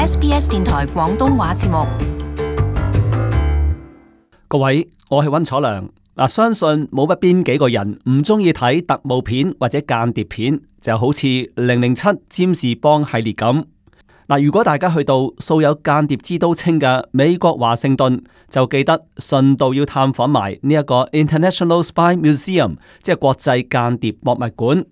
SBS 電台廣東話節目。各位，我係溫楚良。相信冇乜邊幾個人唔中意睇特務片或者間諜片，就好似007占士邦系列咁。如果大家去到素有間諜之都稱嘅美國華盛頓，就記得順道要探訪埋呢一個 International Spy Museum， 即係國際間諜博物館。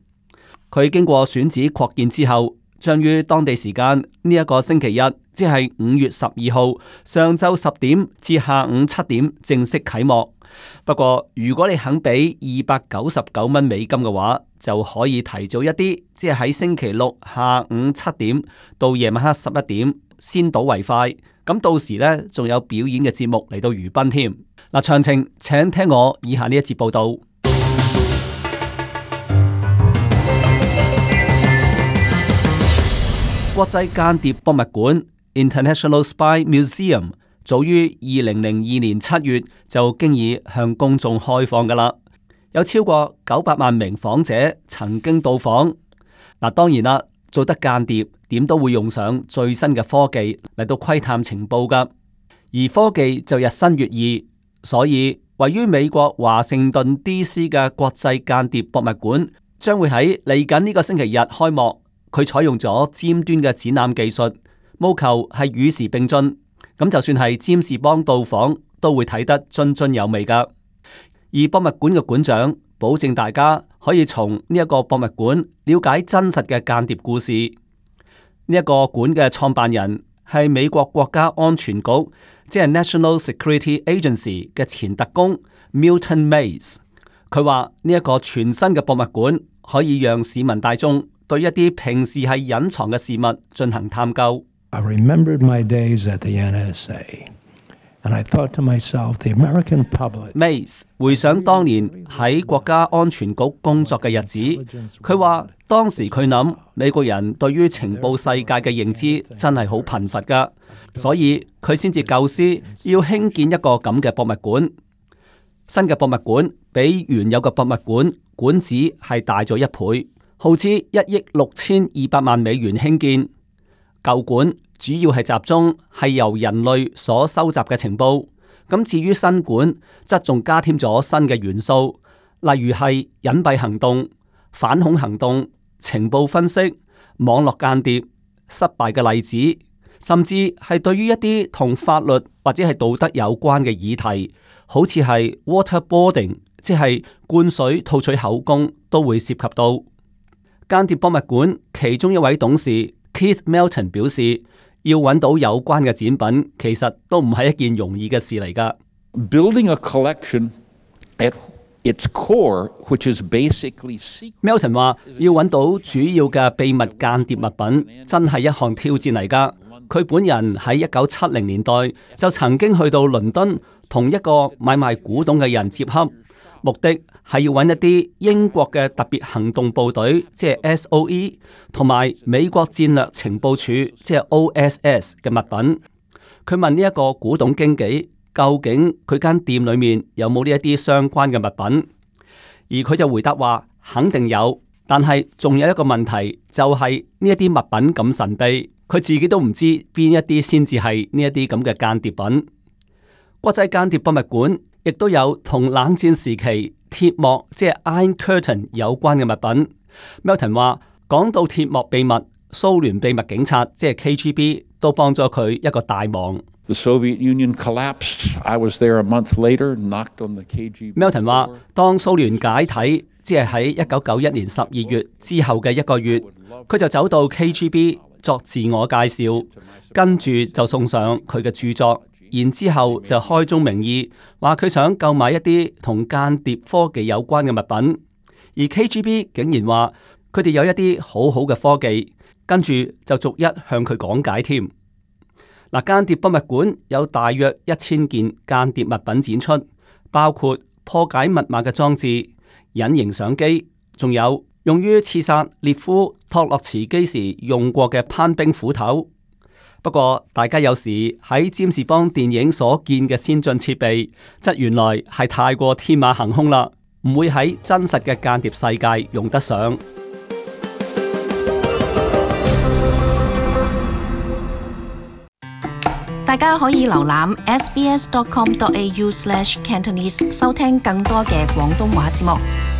佢經過選址擴建之後，將於當地時間呢一個星期日，即係5月12號上晝10點至下午7點正式啟幕。不過如果你肯俾299蚊美金嘅話，就可以提早一啲，即係喺星期六下午7點到夜晚黑11點先睹為快。咁到時呢，仲有表演嘅節目嚟到娛賓添。詳情請聽我以下呢一節報道。國際間諜博物館 International Spy Museum 早於2002年7月就經已向公眾開放㗎喇，有超過900萬名訪者曾經到訪。當然啦，做得間諜點都會用上最新嘅科技嚟到窺探情報㗎，而科技就日新月異，所以位於美國華盛頓 DC 嘅國際間諜博物館將會喺嚟緊呢個星期日開幕。佢採用咗尖端嘅展覽技術，務求係與時並進。咁就算係占士邦到訪，都會睇得津津有味㗎。而博物館嘅館長保證大家可以從呢一個博物館了解真實嘅間諜故事。呢一個館嘅創辦人係美國國家安全局，即係 National Security Agency 嘅前特工 Milton Mays。佢話呢一個全新嘅博物館可以讓市民大眾對一啲平時係隱藏嘅事物進行探究。I remembered my days at the NSA, and I thought to myself, the American public. Mays 回想當年喺國家安全局工作嘅日子，佢話當時佢諗美國人對於情報世界嘅認知真係好貧乏㗎，所以佢先至構思要興建一個咁嘅博物館。新嘅博物館比原有嘅博物館館址係大咗1倍。耗資1億6200萬美元興建。舊館主要係集中係由人類所收集嘅情報，咁至於新館則仲加添咗新嘅元素，例如係隱蔽行動、反恐行動、情報分析、網絡間諜、失敗嘅例子，甚至係對於一啲同法律或者係道德有關嘅議題，好似係 waterboarding， 即係灌水套取口供，都會涉及到。間諜博物館其中一位董事 Keith Melton 表示，要揾到有關嘅展品，其實都唔係一件容易嘅事嚟㗎。Building a collection at its core, which is basically secret. Melton 話要揾到主要嘅秘密間諜物品，真係一項挑戰嚟㗎。佢本人喺1970年代就曾經去到倫敦，同一個買賣古董嘅人接洽。目的係要揾一啲英國嘅特別行動部隊，即係 SOE， 同埋美國戰略情報處，即係 OSS 嘅物品。佢問呢一個古董經紀，究竟佢間店裏面有冇呢一啲相關嘅物品？而佢就回答話肯定有，但係仲有一個問題，就係呢一啲物品咁神秘，佢自己都唔知邊一啲先至係呢一啲咁嘅間諜品。國際間諜博物館亦都有同冷戰時期鐵幕，即係 Iron Curtain 有關嘅物品。Melton 話講到鐵幕秘密，蘇聯秘密警察即係 KGB 都幫咗佢一個大忙。The Soviet Union collapsed. I was there a month later, knocked on the KGB. Melton 話當蘇聯解體，即係喺1991年12月之後嘅1個月，佢就走到 KGB 作自我介紹，跟住就送上佢嘅著作。然之後就開宗明義話佢想購買一啲同間諜科技有關嘅物品，而 KGB 竟然話佢哋有一啲好好嘅科技，跟住就逐一向佢講解添。間諜博物館有大約1000件間諜物品展出，包括破解密碼嘅裝置、隱形相機，仲有用於刺殺列夫托洛茨基時用過嘅攀兵斧頭。不過，大家有時喺占士邦電影所見嘅先進設備，則原來係太過天馬行空啦，唔會喺真實嘅間諜世界用得上。大家可以瀏覽 sbs.com.au/Cantonese 收聽更多嘅廣東話節目。